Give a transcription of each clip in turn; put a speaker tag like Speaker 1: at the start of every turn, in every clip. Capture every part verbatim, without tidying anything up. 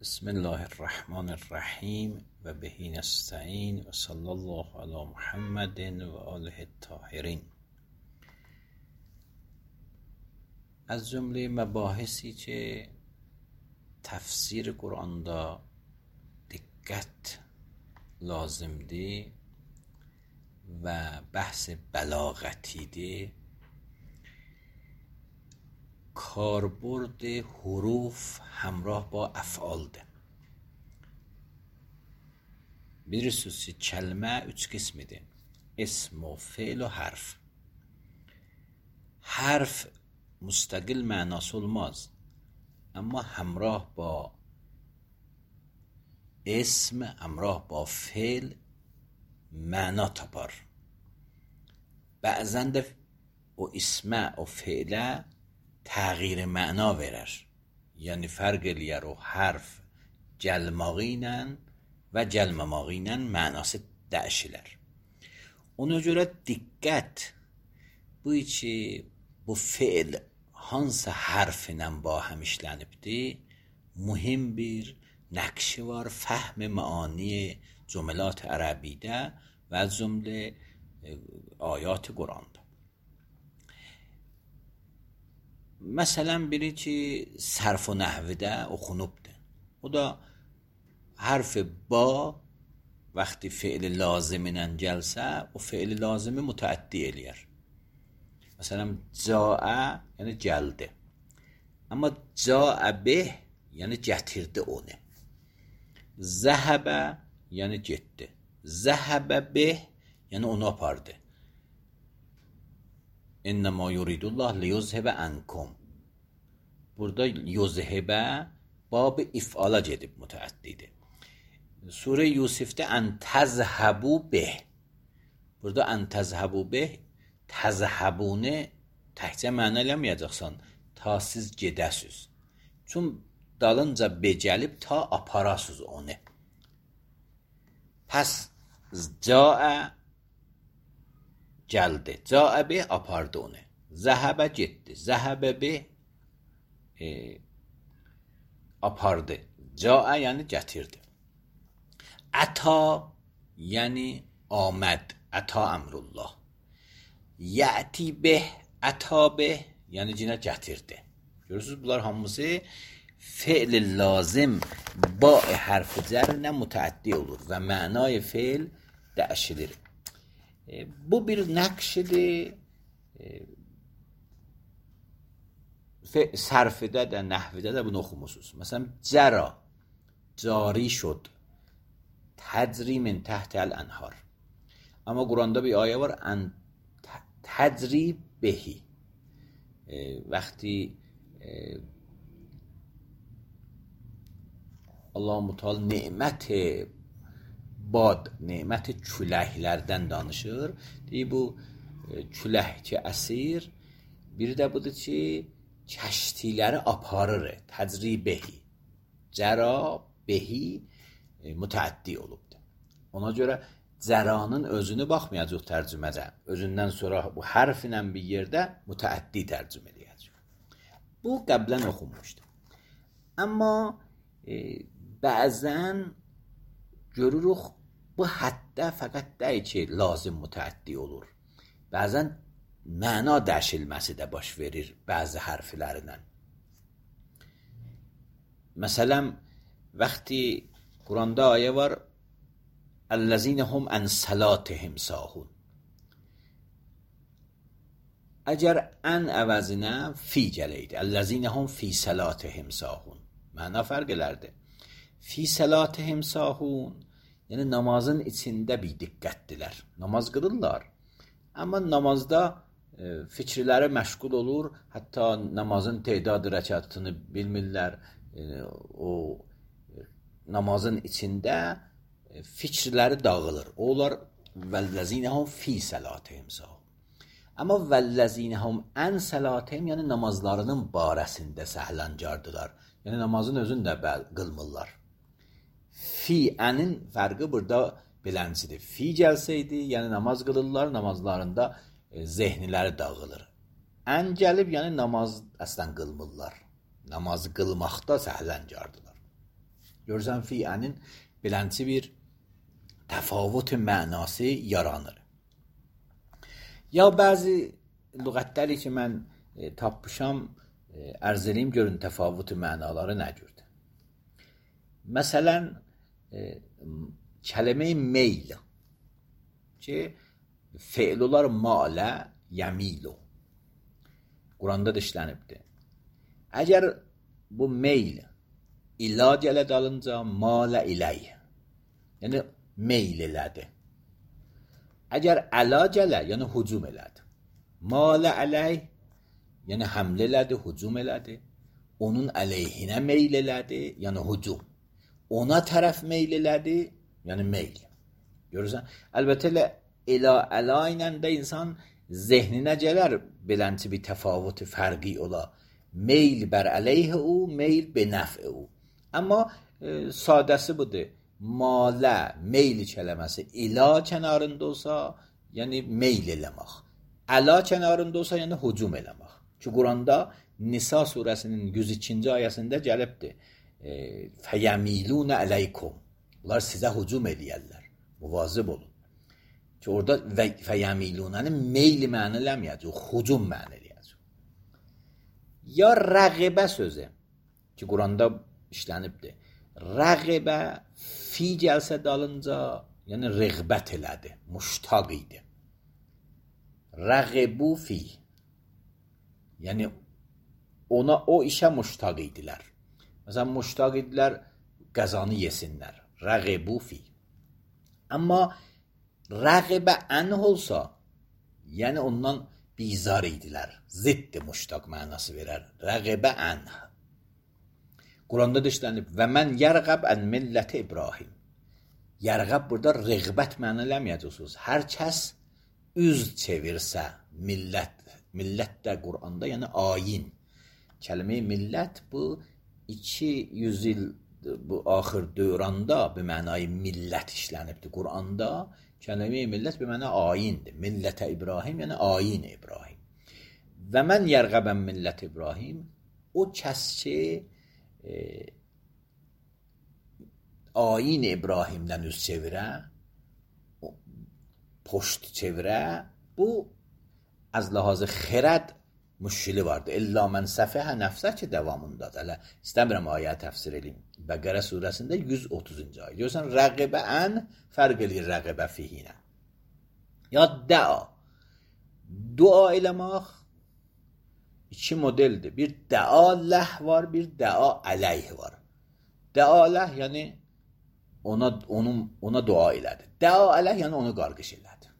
Speaker 1: بسم الله الرحمن الرحیم و بهی نستعین و صلی الله علی محمد و آله الطاهرین. از جمله مباحثی که تفسیر قرآن دا دقت لازم دی و بحث بلاغتی دی کاربرد حروف همراه با افعال ده. bilirsiniz kəlmə üç qismidir: اسم و فعل و حرف. حرف müstəqil mənası olmaz, amma همراه با اسم، همراه با فعل معنا tapar. Bəzən də o ismə, o fi'lə təğyir məna verər. Yəni fərq eləyər o hərf gəlməği ilə və gəlməməği ilə mənası dəyişilər. Ona görə diqqət bu ki bu fiil hansı hərf ilə ba həm işlənibdir, mühim bir nəqşi var fəhm məani cümlات ərəbidə və cümlə ayat Quranda. Məsələn biri ki sərf و nəhvdə oxunubdur. O da hərf ba vəqti fiil lazimi ilə gəlsə, o fiil lazimi mütəəddi eləyər. Məsələn caə yəni gəldi. Amma caə bih yəni gətirdi onu. Zəhəbə yəni getdi. Zəhəbə bih yəni onu apardı. İnnəmə yuridullah liyuzhibə ənkum. Burada yuzhibə bab-ı if'ala gedib mütəəddidir. Surə Yusifdə ən təzhəbu bih. Burada ən təzhəbu bih, təzhəbunu təkcə məna eləməyəcəksən, ta siz gedəsiz. Çün dalınca be gəlib ta aparasız onu. Pəs caə gəldi. Caə bih apardı onu. Zəhəbə getdi. Zəhəbə bih e, apardı. Caə yəni gətirdi. Əta yəni آمد. Əta əmrullah. Yəti bih, əta bih yəni yenə gətirdi. Görürsünüz bunlar hamısı fiil lazım ba hərfi cərlə mütəəddi olur və mənay fiil dəyişilir. E, bu bir nəqşidir. E, sərfidə də, nəhvidə də bunu oxumusunuz. Məsələn, cəra, cari şud, təcri min təhtəl ənhar. Amma Quranda bir ayə var, ən təcri behi. E, vəqti e, Allah-u Teala nemət bad, nemət küləklərdən danışır. Deyir, bu e, külək ki əsir, biri də budur ki, kəştiləri aparır. Təcribehi. Cəra behi e, mütəəddi olubdur. Ona görə cəranın özünü baxmayacaq tərcüməcə. Özündən sonra bu hərf ilə bir yerdə mütəəddi tərcümə edəcək. Bu qəblən oxunmuşdur. Amma e, bəzən görürük bu həddə fəqət deyil ki, lazım mütəəddi olur. Bəzən məna dəyişilməsi də baş verir bəzi hərflərlə. Məsələn, vəqti Quranda ayə var, Əl-ləzinə hum ən səlatihim sahun. Əgər ən əvəzinə fi gələydi. Əl-ləzinə hum fi səlatihim sahun. Məna fərq elərdi. Fi səlatihim sahun yəni namazın içində bir diqqətdilər. Namaz qılırlar. Amma namazda e, fikirləri məşğul olur. Hətta namazın tedadı rəkatını bilmirlər. E, o e, namazın içində e, fikirləri dağılır. Onlar vəl-ləzinəhum fi səlatihim sahun. Amma vəl-ləzinəhum ən səlatihim yəni namazlarının barəsində səhləncardılar. Yəni namazın özünü də qılmırlar. Fi ənin fərqi burada beləncidir. Fi gəlsəydi, yəni namaz qılırlar, namazlarında e, zehniləri dağılır. Ən gəlib, yəni namaz əslən qılmırlar. Namazı qılmaqda səhləncardılar. Görürsən fi-ənin belənçi bir təfavut mənası yaranır. Ya bəzi lüğətləri ki, mən e, tapmışam, e, ərz edeyim, görün təfavut mənaları nə cürdür. Məsələn, e, kəlmə meyl ki, fe'l olar malə yəmilu. Quranda da işlənibdir. Əgər bu meyl ila gələ dalınca malə iləy, yəni meyl elədi. Əgər əla gələ, yəni hücum elədi. Malə ələy, yəni həmlə elədi, hücum elədi. Onun əleyhinə meyl elədi, yəni hücum. Ona tərəf meyl elədi, yəni meyl. Görürsən? Əlbəttə elə ila əla ilə də insan zehninə gələr belənçi bir təfavut fərqi ola. Meyl bər əleyhə o, meyl benəfə o. Amma e, sadəsi budur. Malə, meyl kələməsi ila kənarında olsa, yəni meyl eləmək. Əla kənarında olsa, yəni hücum eləmək. Ki, Quranda Nisa surəsinin yüz ikinci ayəsində gəlibdir. E, Fəyəmilunə əleykum. Bunlar sizə hücum eləyərlər. Muvazib olun. Ki, orada fəyəmilunəni meyl mənə eləməyəcək, hücum mənə eləyəcək. Ya rəqibə sözü ki, Quranda işlənibdir. Rəqibə fi gəlsə dalınca, yəni rəğbət elədi, muştaq idi. Rəqibu fi, yəni ona o işə muştaq idilər. Məsələn, muştaq idilər qəzanı yesinlər. Rəqibu fi. Amma rəqibə ən olsa, yəni ondan bizar idilər. Ziddi muştaq mənası verər. Rəqibə ən. Quranda da işlənib və mən yərğəb ən milləti İbrahim. Yərğəb burada rəğbət mənə eləməyəcəksiniz. Hər kəs üz çevirsə millət, millət də Quranda yəni ayin. Kəlmə millət bu iki yüz il bu axır dövranda bir mənayı millət işlənibdir. Quranda kəlmə millət bir məna ayindir. Millətə İbrahim yəni ayin İbrahim. Və mən yərğəb ən millət İbrahim o kəs ki E, ayin İbrahimdən üz çevirə, poşt çevirə, bu az ləhazı xirəd müşkili vardır. İlla mən səfəhə nəfsə ki, davamındadır. Hələ istəmirəm ayə təfsir edeyim. Bəqərə surəsində yüz otuzuncu ayə. Görürsən, rəqibə ən fərq edir rəqibə fihinə. Ya dəa. Dua eləmək İki modeldir. Bir dəa ləh var, bir dəa əleyh var. Dəa ləh yəni ona onun ona dua elədi. Dəa əleyh yəni onu qarqış elədi.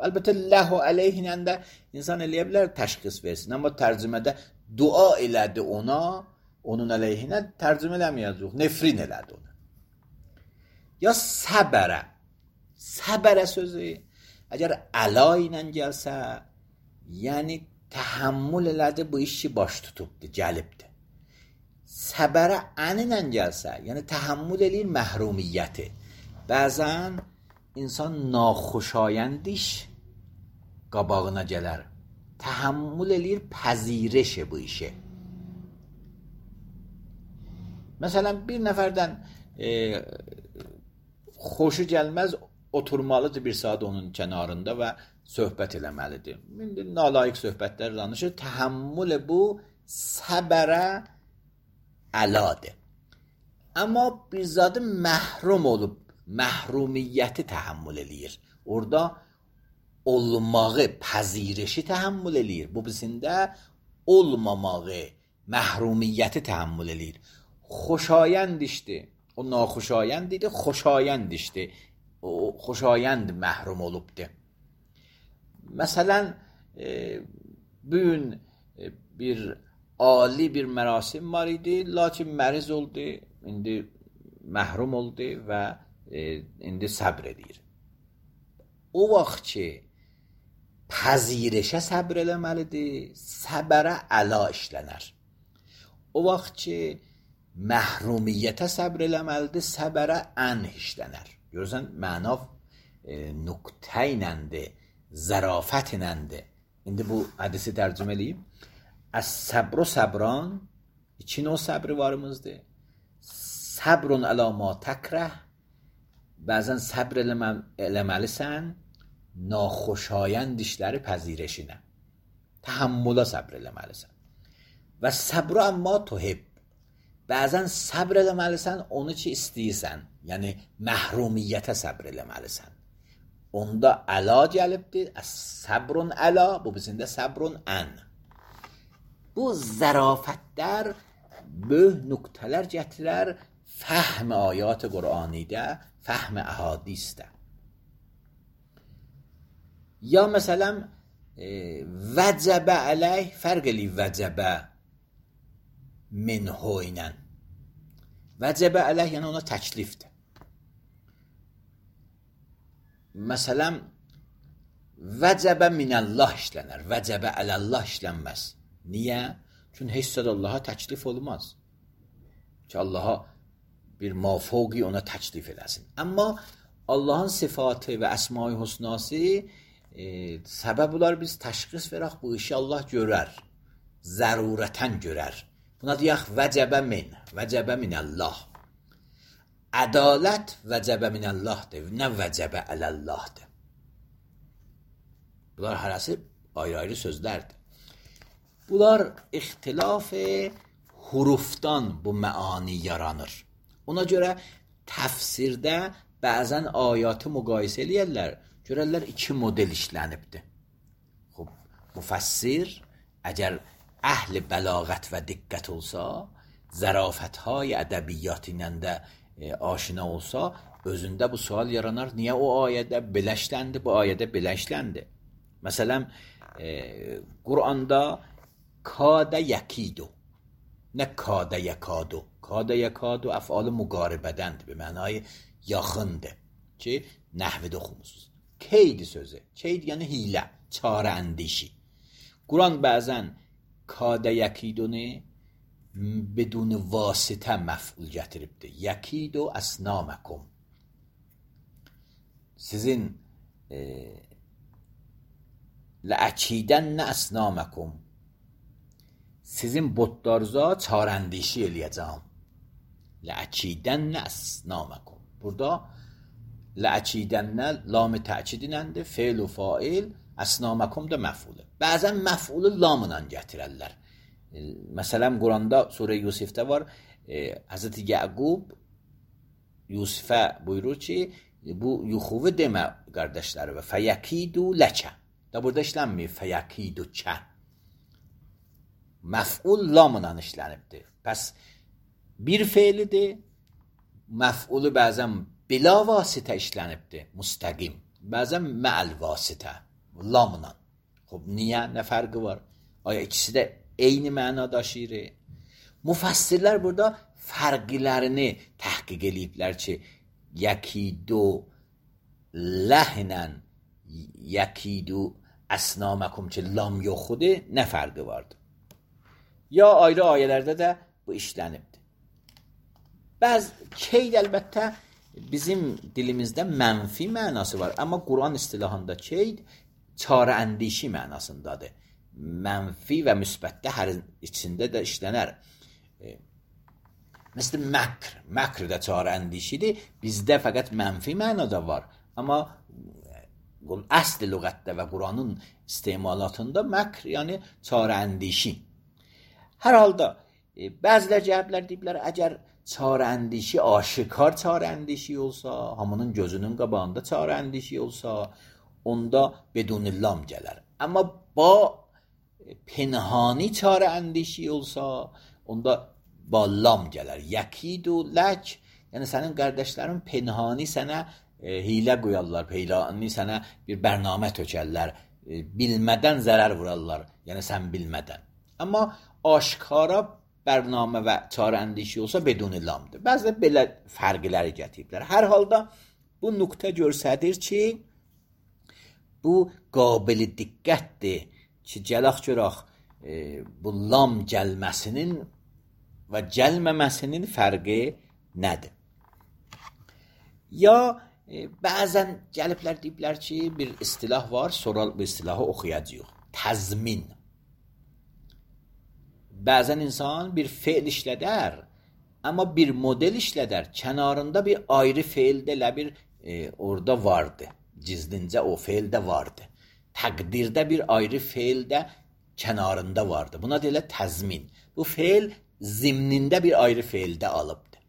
Speaker 1: Əlbəttə ləh və əleyh ilə də insan eləyə bilər təşxis versin, amma tərcümədə dua elədi ona, onun əleyhinə tərcümə eləməyəcək, nefrin elədi ona. Ya səbərə. Səbərə sözü əgər əla ilə gəlsə, yəni təhammül elədi, bu işi baş tutubdur, gəlibdir. Səbərə əninlə gəlsə, yəni təhammül eləyir məhrumiyyəti. Bəzən insan naxoşayənd iş qabağına gələr. Təhammül eləyir pəzirəşi bu işi. Məsələn, bir nəfərdən e, xoşu gəlməz, oturmalıdır bir saat onun kənarında və söhbət eləməlidir. İndi nalayiq söhbətlər danışır. Təhammül bu səbərə əladır. Amma bir zadı məhrum olub, məhrumiyyəti təhammül eləyir. Orada olmağı, pəzirişi təhammül eləyir. Bu bizində olmamağı, məhrumiyyəti təhammül eləyir. Xoşayənd işdir. O naxoşayənd idi, xoşayənd işdir. O xoşayənd məhrum olubdur. Məsələn, e, bugün e, bir ali bir mərasim var idi, lakin məriz oldu, indi məhrum oldu və e, indi səbr edir. O vaxt ki, pəzirişə səbr eləməlidir, səbərə əla işlənər. O vaxt ki, məhrumiyyətə səbr eləməlidir, səbərə ən işlənər. Görürsən, mənav e, nüqtə iləndir, zərafət iləndir. İndi bu hədisi tərcümə eləyim. Əs-səbru səbran, iki növ səbri varımızdır. Səbrun ələ ma təkrəh, bəzən səbr eləməlisən naxoşayənd işləri pəzirəşinə. Təhəmmülə səbr eləməlisən. Və səbru əmma tuhib, bəzən səbr eləməlisən onu ki istəyirsən, yəni məhrumiyyətə səbr eləməlisən. Onda əla gəlibdir, səbrun əla, bu bizində səbrun ən. Bu zərafətlər böyük nöqtələr gətirər fəhm ayat Qur'anidə, fəhm əhadisdə. Ya məsələn vəcəbə əleyh fərq eləyir vəcəbə minhu ilə. Vəcəbə əleyh yəni ona təklifdir. Məsələn vəcəbə minəllah işlənər, vəcəbə ələllah işlənməz. Niyə? Çünki heç zət Allaha təklif olmaz. Ki Allaha bir mafوقی ona təklif eləsin. Amma Allahın sıfatı və əsma-i husnası e, səbəb olar biz təşxis verək bu işi Allah görər. Zərurətən görər. Buna deyək vəcəbə min, vəcəbə minəllah. Ədalət vəcəbə minəllahdır, nə vəcəbə ələllahdır. Bunlar hərəsi ayrı-ayrı sözlərdir. Bunlar ixtilaf hurufdan bu məani yaranır. Ona görə təfsirdə bəzən ayatı müqayisə eləyərlər. Görərlər iki model işlənibdir. Xub, müfəssir əgər əhl-i bəlağət və diqqət olsa, zərafətهای ədəbiyyat ilə də e, aşina olsa, özündə bu sual yaranar. Niyə o ayədə belə işləndi, bu ayədə belə işləndi? Məsələn, e, Qur'anda kadə yəkidu, nə kadə yəkadu. Kadə yəkadu əf'al müqaribədəndir, bir mənayı yaxındır ki, nəhvdə oxumusunuz. Keyd sözü, keyd yəni hilə, çarə əndişi. Quran bəzən kadə yəkidunu بدون vasitə məf'ul gətiribdir. Yəkidu əsnaməkum. Sizin e, ləəkidən əsnaməkum. Sizin botlarınıza çarəndişi eləyəcəm. Ləəkidən əsnaməkum. Burada ləəkidən lam-ı təkidinəndir, fe'l u fail, əsnaməkum da məf'ulə. Bəzən məf'ulu lamla gətirərlər. Məsələn, Quranda surə Yusifdə var, e, Həzrəti Yəqub Yusifə buyurur ki, bu yuxuvu demə qardaşları və fəyəkidu ləkə. Da burada işlənmir, fəyəkidu kə. Məf'ul lamla işlənibdir. Pəs bir fe'lidir, məf'ulu bəzən bila vasitə işlənibdir, müstəqim. Bəzən mə'əl vasitə, lamla. Xub, niyə? Nə fərqi var? Aya ikisi də eyni məna daşıyır. Müfəssirlər burada fərqlərini təhqiq eləyiblər ki, yəkidu ləhdən yəkidu əsnaməkum ki, lam yoxudur, nə fərqi vardır? Ya ayrı ayələrdə də bu işlənibdir. Bəzi keyd əlbəttə bizim dilimizdə mənfi mənası var, amma Quran istilahında keyd çarə əndişi mənasındadır. Mənfi və müsbətdə hər içində də işlənər. E, Məsələn, məkr, məkr də çarə əndişidir. Bizdə fəqət mənfi mənada var. Amma əsl lüğətdə və Quranın istemalatında məkr, yəni çarə əndişi. Hər halda, e, bəzilər cəhəblər deyiblər, əgər çarə əndişi aşikar çarə əndişi olsa, hamının gözünün qabağında çarə əndişi olsa, onda bedunillam gələr. Amma ba penhani çarə əndişi olsa, onda ba lam gələr. Yəkidu lək, yəni sənin qardaşların penhani sənə e, hilə qoyarlar, penhani sənə bir bərnamə tökərlər, e, bilmədən zərər vurarlar, yəni sən bilmədən. Amma aşkara bərnamə və çarə əndişi olsa beduni lamdır. Bəzə belə fərqləri gətiriblər. Hər halda bu nöqtə göstərir ki, bu qabil diqqətdir ki, gələk görək e, bu lam gəlməsinin və gəlməməsinin fərqi nədir? Ya e, bəzən gəliblər deyiblər ki, bir istilah var, sonra bu istilahı oxuyacaq. Təzmin. Bəzən insan bir fe'l işlədər, Ama bir model işleder. Kenarında bir ayrı fiilde elə bir e, orada vardı. Gizlincə o fiildə vardı. Təqdirdə bir ayrı fiildə kenarında vardı. Buna deyilə təzmin. Bu fiil zimnində bir ayrı fiildə alıbdı.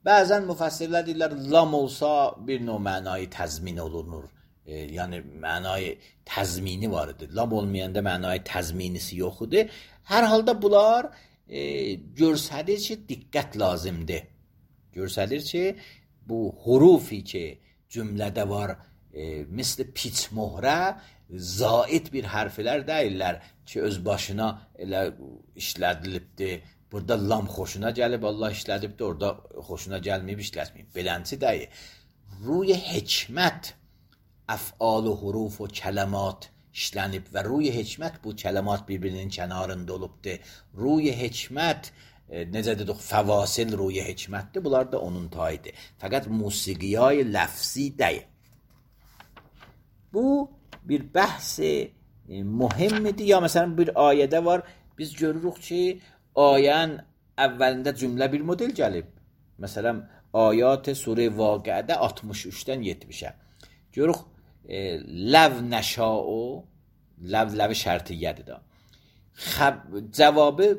Speaker 1: Bəzən müfəssirlər deyirlər, lam olsa bir növ mənayı təzmin olunur. E, yəni mənayı təzmini var idi. Lam olmayanda mənayı təzminisi yox idi. Hər halda bunlar e, görsədir ki, diqqət lazımdır. Görsədir ki, bu hurufi ki, cümlədə var, e, misli piç mohrə, zaid bir hərflər deyirlər ki, öz başına elə işlədilibdir. Burada lam xoşuna gəlib, Allah işlədibdir, orada xoşuna gəlməyib, işlətməyib. Belənçi deyir. Ruy hikmət, əf'al, huruf və kələmat işlənib və ruy hikmət bu kələmat bir-birinin kənarında olubdur. Ruy hikmət, e, necə dedik, fəvasil ruy hikmətdir. Bunlar da onun tayıdır. Fəqət musiqiyay ləfzi deyil. Bu bir bəhs-i e, mühimmidir. Ya məsələn bir ayədə var, biz görürük ki, ayənin əvvəlində cümlə bir model gəlib. Məsələn, ayat surə Vaqiədə altmış üçdən yetmişə. Görürük, e, ləv nəşa'u, ləv ləv şərtiyyədir da. Xəb, cavabı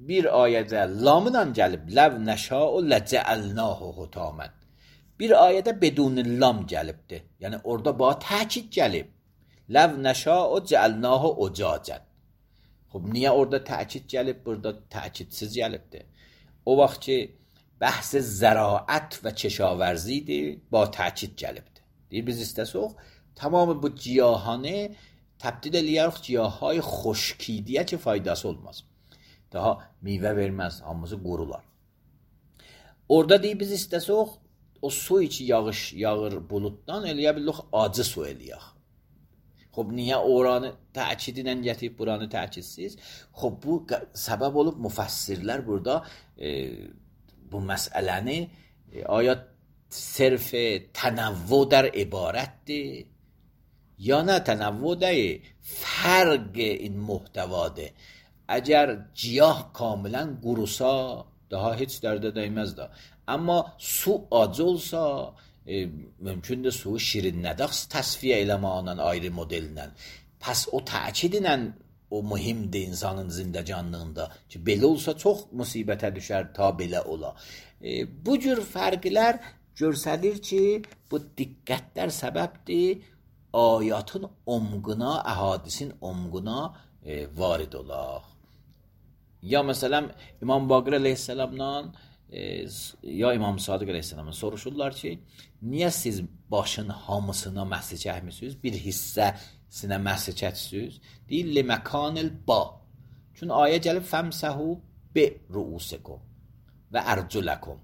Speaker 1: bir ayədə lamla gəlib, ləv nəşa'u ləcəəlnahu hutamən. Bir ayədə bedun lam gəlibdir. Yəni orada ba təkid gəlib. Ləv nəşa'u cəəlnahu ucacən. Xub, niyə orada təkid gəlib, burada təkidsiz gəlibdir? O vaxt ki, bəhs zəraət və keşavrzidir, ba təkid gəlibdir. Deyir, biz istəsək, tamamı bu ciyahanı təbdil eləyərik ciyahay xoşkidiyə ki, faydası olmaz. Daha meyvə verməz, hamısı qurular. Orada deyir, biz istəsək, o su içi yağış yağır bulutdan, eləyə bilirik, acı su eləyək. Xub, niyə oranı təkidinə gətirib, buranı təkidsiz? Xub, bu səbəb olub müfəssirlər burada e, bu məsələni e, aya sırf tənəvvü dər ibarətdir, ya nə tənəvvü deyil, fərq in muhtəvadır. Əgər ciyah kamilən qurusa, daha heç dərdə dəyməz da. Amma su acı olsa, e, mümkündür suyu şirinlədək təsfiyə eləməklə, ayrı modellə. Pəs o təkidlə o mühimdir insanın zindəcanlığında ki, belə olsa çox musibətə düşər, ta belə ola. E, bu cür fərqlər görsədir ki, bu diqqətlər səbəbdir ayatın omquna, əhadisin omquna e, varid olaq. Ya məsələn, İmam Baqir əleyhissalamdan e, ya İmam Sadiq əleyhissalamdan soruşurlar ki, niyə siz başın hamısına məhsi çəkmisiniz, bir hissəsinə məhsi çəksiniz? Deyil, li məkanil ba. Çünki ayə gəlib, fəmsəhu bi ruusikum və ərculəkum.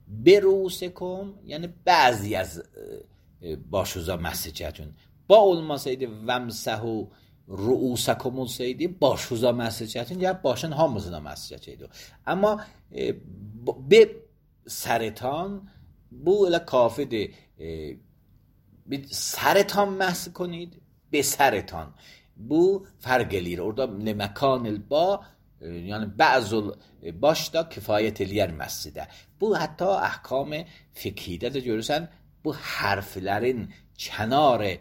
Speaker 1: Bi ruusikum, yəni bəzi az e, başuza məhsi çəkin. Ba olmasaydı, vəmsəhu ruusakum olsaydı, başuza məhsi çəkin, ya başın hamısına məhsi çəkəydi. Amma e, bir sərətan, bu elə kafidir. E, bir sərətan məhsi konid, bir sərətan. Bu fərq eləyir. Orada məkanil ba, e, yəni bəzul başda kifayət eləyər məhsidə. Bu hətta əhkam fiqhidə də görürsən, bu hərflərin kənarı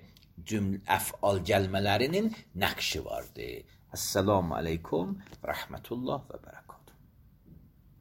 Speaker 1: cümlə əf'al gəlmələrinin nəqşi vardır. Əssalamu aleykum və rəhmətullah və bərəkət.